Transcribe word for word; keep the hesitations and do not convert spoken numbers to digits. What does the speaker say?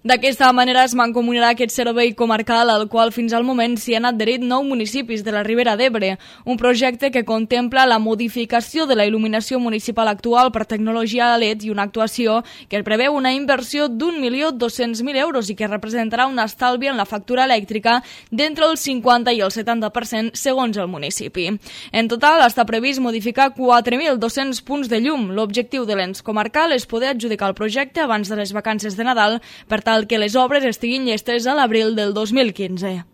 D'aquesta manera es mancomunarà aquest servei comarcal al qual fins al moment s'hi han adherit nou municipis de la Ribera d'Ebre, un projecte que contempla la modificació de la il·luminació municipal actual per tecnologia L E D i una actuació que preveu una inversió d'un milió dos-cents mil euros i que representarà un estalvi en la factura elèctrica d'entre el cinquanta i el setanta per cent segons el municipi. En total està previst modificar quatre mil dos-cents punts de llum. L'objectiu de l'ens comarcal és poder adjudicar el projecte abans de les vacances de Nadal per tal que les obres estiguin llestes a l'abril del dos mil quinze.